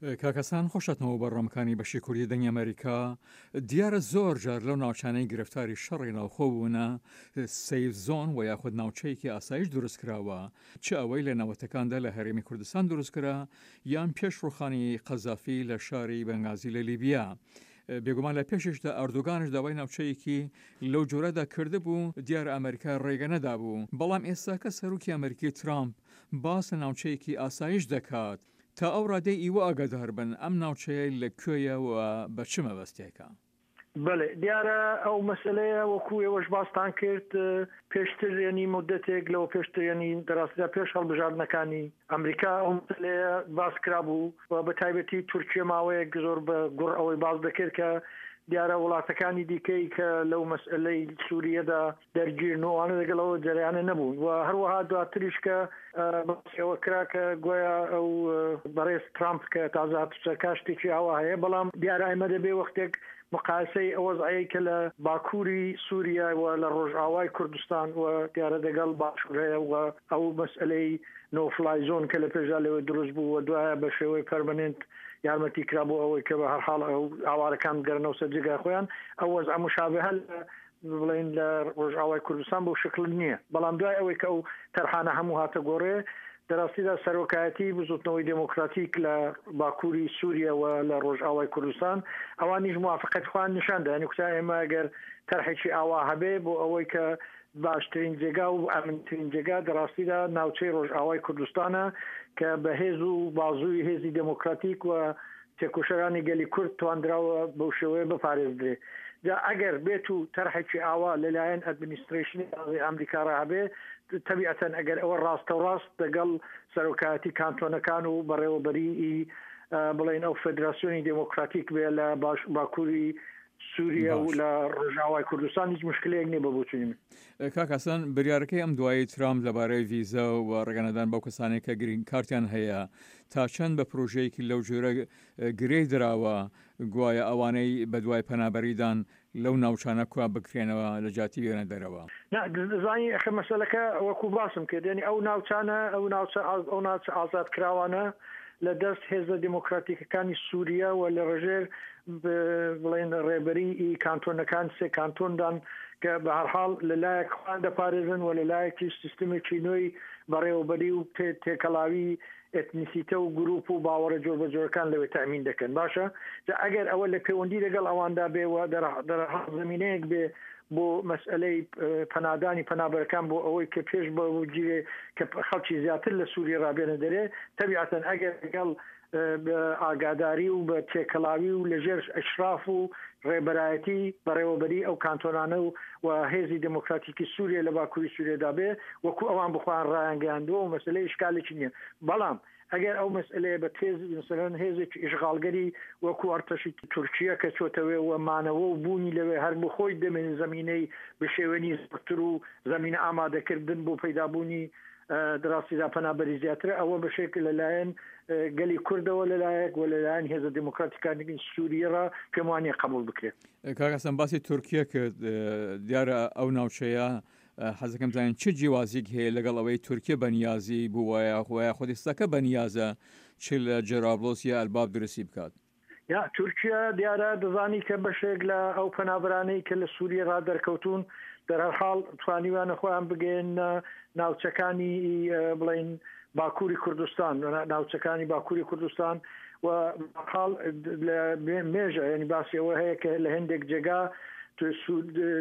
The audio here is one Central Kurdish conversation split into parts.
کاک حەسەن خۆش هاتنەوە بەرنامەکانی بەشی کوردی دەنگی ئەمەریکا. دیارە زۆر جار لەو ناوچانەی گرفتاری شەڕی ناوخۆ بوونە سەیف زۆن و یاخود ناوچەیەکی ئاسایش دروست کراوە چ ئەوەی لە نەوەتەکاندا لە هەرێمی کوردستان دروست کرا یان پێش ڕوخانی قەزافی لە شاری بەنگازی لە لیبیا. بێگومان لە پێشیشدا ئەردۆگانش داوای ناوچەیەکی لەو جۆرەدا کردبوو، دیارە ئەمەریکا ڕێگە نەدابوو، بەڵام ئێستاکە سەرۆکی ئەمەریکی ترامپ باس لە ناوچەیەکی ئاسایش دەکات، تا ئەو ڕادەی ئیوە ئاگادار بن ئەم ناوچەیە لە کوێیە و بە چ مەبەستێکە؟ بەڵێ دیارە ئەو مەسەلەیە وەکو ئێوەش باستان کرد پێشتر یەنی مودەتێک لەوە پێشتر یەنی دەڕاستیدا پێش هەڵبژاردنەکانی ئەمریکا ئەو مەسەلەیە باس کرابوو و بە تایبەتی تورکیە ماوەیەک زۆر بە گوڕ ئەوەی باس دەکرد کە دیارە وڵاتەکانی دیکەی کە لەو مەسئلەی سووریەدا دەرگیرن و ئەوانە لەگەڵ ئەوە جەرەیانە نەبوون و هەروەها دواتریش کە باسی ئەوە کرا کە گۆیا ئەو بەڕێز ترامپ کە تازە هاتووچە کا شتێکی ئاوا هەیە بەڵام دیارە ئێمە دەبێ وەختێک مقایسەی ئەو وەزعەی کە لە باکووری سووریە و لە ڕۆژئاوای کوردستان و دیارە دەگەڵ باشوور هەیە و ئەو مەسئلەی نۆ فلای زۆن کە لە پێشدا لەوێ دروست بوو و دوایە بە شێوەی پەرمەنێنت یارمەتی کرا بۆ ئەوەی کە بە هەر حاڵ ئەو ئاوارەکان بگەرنەوە سەر جێگای خۆیان ئەو وەزعە مشابهە لە بڵێین لە ڕۆژئاوای کوردستان بەو شکل نییە بەڵام دوای ئەوەی کە ئەو تەرحانە هەموو هاتە گۆڕێ دەراستیدا سەرۆکایەتی بزوتنەوەی دێمۆکراتیک لە باکووری سووریە و لە ڕۆژئاوای کوردستان ئەوانیش موافقەت خۆیان نیشان دا یانی کوتیان ئێمە ئەگەر تەرحێکی ئاوا هەبێ بۆ ئەوەی کە باشترین جێگا و ئەمنترین جێگا دەڕاستیدا ناوچەی ڕۆژئاوای کوردستانە کە بە هێز و بازووی هێزی دێمۆکراتیک و تێکۆشەرانی گەلی کورد تواندراوە بەو شێوەیە بپارێزدرێ. جا ئەگەر بێت و تەرحێکی ئاوا لە لایەن ئەدمنیسترەیشنی تازەی ئامریکا ڕا هەبێ، تەبیعەتەن ئەگەر ئەوە ڕاستەوڕاست دەگەڵ سەرۆکایەتی کانتۆنەکان و بەڕێوەبەریی بڵێین ئەو فێدراسیۆنی دێمۆکراتیک بێ لە باش باکووری سووریە و باش. لە ڕۆژئاوای کوردستان هیچ موشکلەیەک نییە بە بۆچوونی من. کاک حەسەن، بریارەکەی ئەم دوایەی ترامپ لەبارەی ڤیزە و ڕێگەنەدان بەو کەسانەی کە گرین کارتیان هەیە، تا چەند بە پرۆژەیەکی لەو جۆرە گرێ دراوە، گوایە ئەوانەی بەدوای پەنابەریدان لەو ناوچانە کوا بکرێنەوە لە جیاتی بێنە دەرەوە؟ نا دەزانی ئەخە مەسەلەکە وەکو باسم کرد یانی ئەو ناوچانە ئەو ناوچە ئەو ناوچە ئازادکراوانە لە دەست هێزە دێمۆکراتیکەکانی سووریە و لە ڕژێر بڵێن ڕێبەری ئی کانتۆنەکان سێ کانتۆندان کە بە هەرحاڵ لە لایەک خۆیان دەپارێزن و لە لایەکیش سیستمێکی نوێی بەڕێوەبەری و تێکەڵاوی ئێتنیسیتە و گروپ و باوەڕە جۆربەجۆرەکان لەوێ تەئمین دەکەن. باشە جا ئەگەر ئەوە لە پێوەندی لەگەڵ ئەواندا بێ و دەرحاڵ زەمینەیەک بێ بۆ مەسئەلەی پەنادانی پەنابەرەکان بۆ ئەوەی کە پێش بگیرێ کە خەڵکی زیاتر لە سووریە ڕابێنە دەرێ، تەبیعەتەن ئەگەر لەگەڵ بە ئاگاداری و بە تێکەڵاوی و لە ژێر ئیشراف و ڕێبەرایەتی بەڕێوەبەری ئەو کانتۆنانە و و هێزی دێمۆکراتیکی سووریە لە باکووری سووریەدا بێ وەکوو ئەوان بخۆیان ڕایانگەیاندووە و مەسەلەی ئیشکالێکی نییە بەڵام ئەگەر ئەو مەسئلەیە بە تێز مەسەلەن هێزێکی ئیشغاڵگەری وەکوو ئەرتەشی تورکیە کە چۆتە وێ و مانەوە و بوونی لەوێ هەر بخۆی دەمێن زەمینەی بشێوێنی زۆرتر و زەمینە ئامادەکردن بۆ پەیدابوونی دراستیدا پەنابەری زیاترە ئەوە بەشێک لەلایەن گەلی کوردەوە لەلایەک و لەلایەن هێزە دێموکراتیکانی سووریەڕا پێم وانیە قەبووڵ بکرێت. کاک حەسەن باسی تورکیە کرد دیارە ئەو ناوچەیە حەزەکەم بزانین چ جیوازیک هەیە لەگەڵ ئەوەی تورکیە بەنیازی بووە یاخۆ یاخود ئێستاکە بەنیازە چ لە جەرابلۆس یا ئەلباب دروستی بکات؟ یا تورکیا دیارە دەزانی کە بەشێک لە ئەو پەنابەرانەی کە لە سووریە ڕا دەرکەوتوون دەرهەرحاڵ توانیویانە خۆیان بگەیەننە ناوچەکانی بڵێین باکووری کوردستان ناوچەکانی باکووری کوردستان و حاڵ لە مێژە ینی باسی ئەوە هەیە کە لە هەندێک جێگا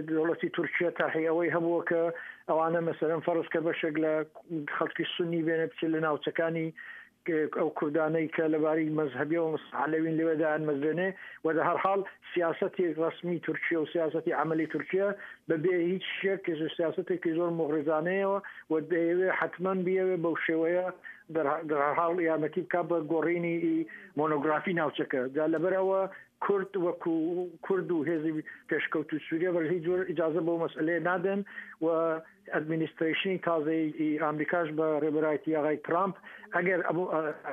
دەوڵەتی تورکیا تاحی ئەوەی هەبووە کە ئەوانە مەسەرەن فەرز کە بەشێک لە خەڵکی سنی بێنە بچێت لە ناوچەکانی ئەو کوردانەی کە لەباری مەزهەبیەوە عەلەوین لەوێ دایانمەزرێنێ و دە هەرحاڵ سیاسەتی ڕەسمی تورکیە و سیاسەتی عەمەلی تورکیە بە بێ هیچ شێک سیاسەتێکی زۆر موغریزانەیەوە و دەیەوێ حەتمەن بیەوێ بەو شێوەیە دەرهەرحاڵ یارمەتی بکا بە گۆڕینی مۆنۆگرافی ناوچەکە جا لەبەر ئەوە کورد وەکو کورد و هێزی پێشکەوتوو سووریە بە هیچ جۆر ئیجازە بەو مەسئلەیە نادەن و ئەدمینیسترەیشنی تازەی ئامریکاش بە ڕێبەرایەتی ئاغای ترامپ ئەگەر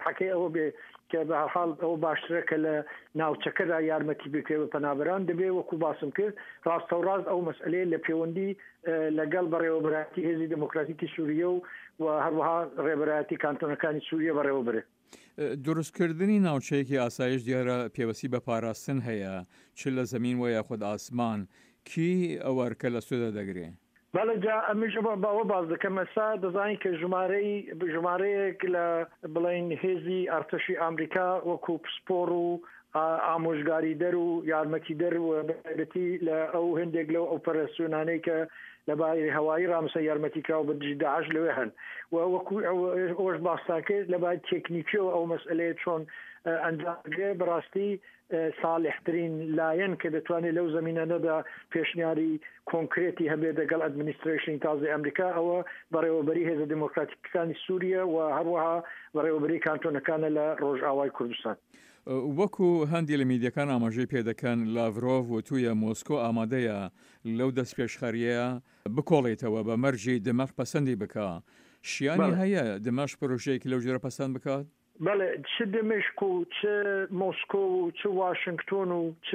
حەکەی ئەوە بێ کە بە هەرحاڵ ئەوە باشترە کە لە ناوچەکەدا یارمەتی بکرێ بە پەنابەران دەبێ وەکو باسم کرد ڕاستەوڕاست ئەو مەسئلەیە لە پێوەندی لەگەڵ بەڕێوەبەرایەتی هێزی دێمۆکراتیکی سووریە و و هەروەها ڕێبەرایەتی کانتۆنەکانی سووریە بەڕێوە برێ. دروستکردنی ناوچەیەکی ئاسایش دیارە پێوەستی بە پاراستن هەیە چ لە زەمین وە یاخود ئاسمان، کی ئەو ئەرکە لە ستۆدا دەگرێ؟ بەڵێ جا ئەمنیش ئەوە باس دەکەم ئێستا دەزانین کە ژمارەی ژمارەیەک لە بڵێین هێزی ئەرتەشی ئامریکا وەکوو پسپۆڕ و ئامۆژگاریدەر و یارمەتیدەر و بەتایبەتی لە ئەو هێندێک لەو ئۆپەراسیۆنانەی کە لە باری هەوایی ڕامسە یارمەتی کراوە بە دژی داعش لەوێ هەن و وەکوو ئەوەش باستان کرد لە باری تێکنیکیەوە ئەو مەسئلەیە چۆن ئەنجام دەگرێ بەڕاستی ساڵحترین لایەن کە دەتوانێت لەو زەمینانەدا پێشنیاری کۆنکرێتی هەبێت دەگەڵ ئەدمنیسترەیشنی تازەی ئەمریکا ئەوە بەڕێوەبەری هێزە دێمۆکراتیکەکانی سووریە و هەروەها بەڕێوەبەری کانتۆنەکانە لە ڕۆژئاوای کوردستان. وەکو هەندی لە میدیەکان ئاماژەی پێدەکەن، لاڤرۆڤ وتوویە مۆسکۆ ئامادەیە لەو دەستپێشخەرییە بکۆڵێتەوە بە مەرجی دمەشق پەسەندی بکا. شیانی هەیە دمەشق پرۆژەیەکی لەو جۆرە پەسەند بکات؟ بەڵێ، چ دمشق و چ مۆسکۆ و چ واشنگتۆن و چ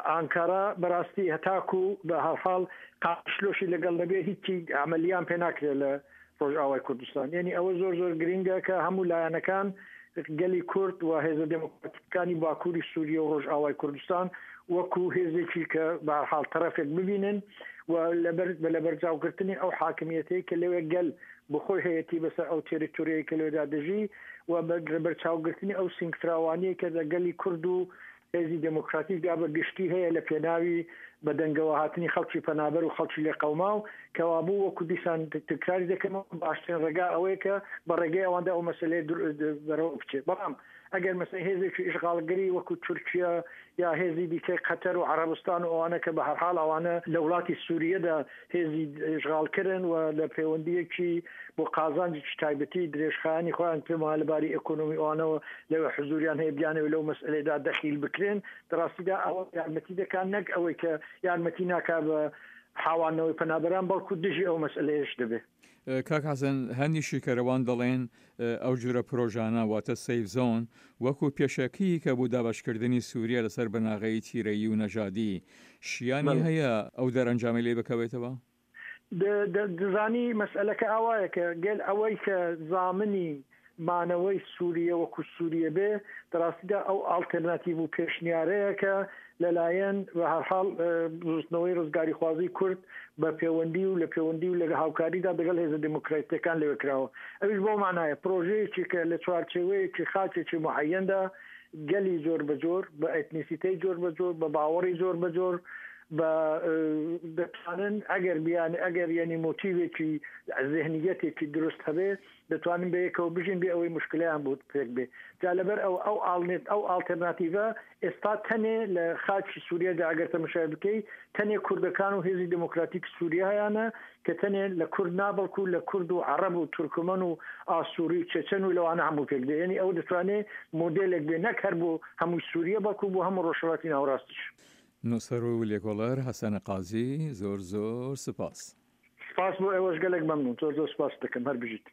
ئانکارا بەراستی هەتاکو بە هەرحاڵ قامشلۆشی لەگەڵ نەبێ هیچی عەمەلیان پێ ناکرێ لە ڕۆژئاوای کوردستان. یەنی ئەوە زۆر زۆر گرینگە کە هەموو لایەنەکان گەلی کورد و هێزە دێمۆکراتیکەکانی باکووری سووریە و ڕۆژئاوای کوردستان وەکوو هێزێکی کە بە هەرحاڵ تەرەفێک ببینن و لەبەر بە لەبەرچاوگرتنی ئەو حاکمیەتەی کە لەوێ گەل بۆخۆی هەیەتی بەسەر ئەو تێریتۆریەی کە لەوێدا دەژی و بە لەبەرچاوگرتنی ئەو سینگفراوانیەی کە لە گەلی کورد و هێزی دێمۆکراتیکدا بە گشتی هەیە لە پێناوی بە دەنگەوە هاتنی خەڵکی پەنابەر و خەڵکی لێقەوماو، کەوابوو وەکوو دیسان تکراری دەکەمەوە باشترین ڕێگا ئەوەیە کە بە ڕێگەی ئەواندا ئەو مەسەلەیە بەرەوە بچێ. بەڵام ئەگەر مەسەلەن هێزێکی ئیشغاڵگەری وەکوو تورکیە یا هێزی دیکەی قەتەر و عەڕەبستان و ئەوانە کە بە هەرحاڵ ئەوانە لە وڵاتی سووریەدا هێزی ئیشغاڵکەرن و لە پەیوەندییەکی بۆ قازانجێکی تایبەتی درێژخایەنی خۆیان پێم وایە لە باری ئێکۆنۆمی ئەوانەوە لەوێ حزووریان هەیە بیانەوێ لەو مەسئەلەیەدا دەخیل بکرێن لە ڕاستیدا ئەوە یارمەتی دەکا نەک ئەوەی کە یارمەتی ناکا بە حاواندنەوەی پەنابەران بەڵکوو دژی ئەو مەسئەلەیەش دەبێ. کاک حەسەن هەندی شیکەرەوان دەڵێن ئەو جورە پرۆژانە واتە سەیف زۆن وەکو پێشەکییکە بۆ دابەشکردنی سوریە لەسەر بناغەی تیرەیی و نەژادی شیانی هەیە ئەو دەرەنجامەی لێ بکەوێتەوە؟ دەزانی مەسئەلەکە ئاوایە کە گەل ئەوەی کە زامنی مانەوەی سوریە وەکو سوریە بێ دەڕاستیدا ئەو ئاڵتێرناتیڤ و پێشنیارەیە کە لەلایەن بە هەرحاڵ بزوتنەوەی ڕزگاریخوازی کورد بە پێوەندی و لە پێوەندی و لە هاوکاریدا دەگەڵ هێزە دێمۆکراتیکەکان لەوێ کراوە. ئەویش بەو مانایە پرۆژەیەکی کە لە چوارچێوەیەکی خاکێکی موعەیەندا گەلی جۆر بە جۆر، بە ئێتنیسیتەی جۆر بە جۆر، بە باوەڕی جۆر بە جۆر بە دەتوانن ئەگەر بیان ئەگەر یەنی مۆتیڤێکی زێهنییەتێکی دروست هەبێ دەتوانن بەیەکەوە بژین بێ ئەوەی موشکلەیان بۆ پێک بێ. جا لەبەر ئەوە ئەو ئاڵنێت ئەو ئاڵتێرناتیڤە ئێستا تەنێ لە خاکی سووریەدا ئەگەر تەمەشای بکەی تەنێ کوردەکان و هێزی دێمۆکراتیک سووریە هەیانە کە تەنێ لە کورد نا بەڵکوو لە کورد و عەڕەب و تورکمەن و ئاسووری و چەچەن و لەوانە هەموو پێک دێ. یەنی ئەوە دەتوانێ مۆدێلێک بێ نەک هەر بۆ هەمووی سووریە بەڵکوو بۆ هەموو ڕۆژهەڵاتی ناوەڕاستیش. نووسەر و لێکۆڵەر حەسەن قازی زۆر زۆر سپاس. سپاس بۆ ئێوەش گەلێک مەمنوون. زۆر زۆر سپاست دەکەم. هەر بژیت.